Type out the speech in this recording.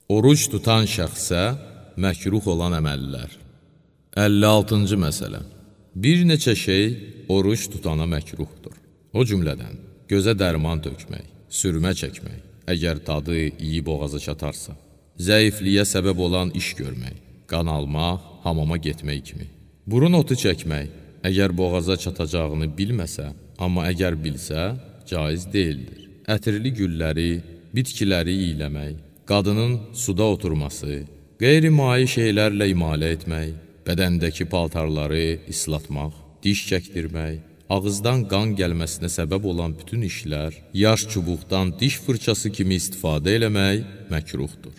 Oruc tutan şəxsə məkruh olan əməllər. 56-cı məsələ. Bir neçə şey oruc tutana məkruhdur. O cümlədən gözə dərman tökmək, sürmə çəkmək, əgər tadı iyi boğaza çatarsa, zəifliyə səbəb olan iş görmək, qan almaq, hamama getmək kimi. Burun otu çəkmək, əgər boğaza çatacağını bilməsə, amma əgər bilsə, caiz deyildir. Ətirli gülləri, bitkiləri iyləmək, qadının suda oturması, qeyri-mai şeylərlə imalə etmək, bədəndəki paltarları islatmaq, diş çəkdirmək, ağızdan qan gəlməsinə səbəb olan bütün işlər, yaş çubuqdan diş fırçası kimi istifadə eləmək məkruhdur.